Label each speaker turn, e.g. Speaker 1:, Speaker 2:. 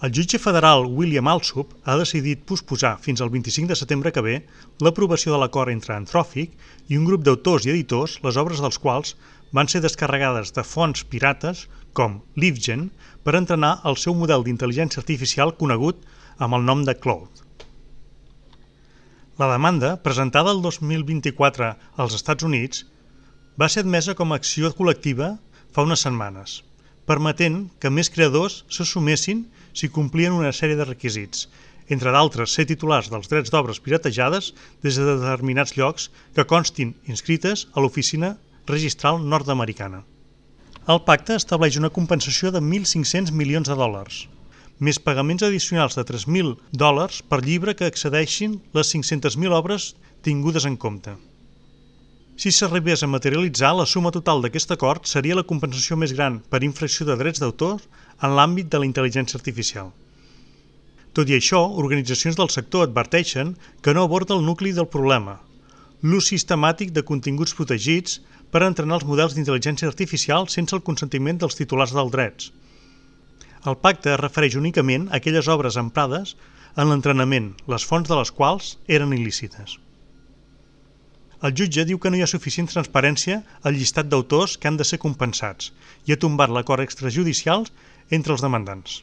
Speaker 1: El jutge federal William Alsup ha decidit posposar fins al 25 de setembre que ve l'aprovació de l'acord entre Anthropic i un grup d'autors i editors, les obres dels quals van ser descarregades de fonts pirates com LiveGen per entrenar el seu model d'intel·ligència artificial conegut amb el nom de Claude. La demanda, presentada el 2024 als Estats Units, va ser admesa com a acció col·lectiva fa unes setmanes, permetent que més creadors se sumessin si complien una sèrie de requisits, entre d'altres ser titulars dels drets d'obres piratejades des de determinats llocs que constin inscrites a l'oficina registral nord-americana. El pacte estableix una compensació de $1.500 milions, més pagaments addicionals de $3.000 per llibre que excedeixin les 500.000 obres tingudes en compte. Si s'arribés a materialitzar, la suma total d'aquest acord seria la compensació més gran per infracció de drets d'autor en l'àmbit de la intel·ligència artificial. Tot i això, organitzacions del sector adverteixen que no aborda el nucli del problema, l'ús sistemàtic de continguts protegits per entrenar els models d'intel·ligència artificial sense el consentiment dels titulars dels drets. El pacte es refereix únicament a aquelles obres emprades en l'entrenament, les fonts de les quals eren il·lícites. El jutge diu que no hi ha suficient transparència al llistat d'autors que han de ser compensats i ha tombat l'acord extrajudicial entre els demandants.